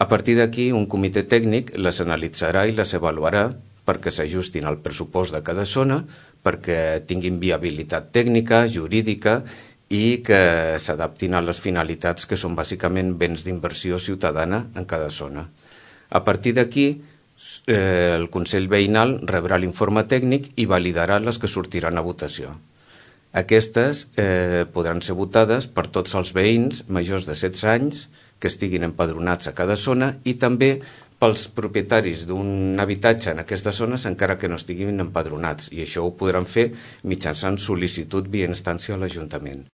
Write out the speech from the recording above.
A partir d'aquí, un comitè tècnic les analitzarà i les avaluarà perquè s'ajustin al pressupost de cada zona, perquè tinguin viabilitat tècnica, jurídica i que s'adaptin a les finalitats que són bàsicament béns d'inversió ciutadana en cada zona. A partir d'aquí, el Consell Veïnal rebrà l'informe tècnic i validarà les que sortiran a votació. Aquestes podran ser votades per tots els veïns majors de 16 anys que estiguin empadronats a cada zona i també pels propietaris d'un habitatge en aquestes zones encara que no estiguin empadronats, i això ho podran fer mitjançant sol·licitud via instància a l'Ajuntament.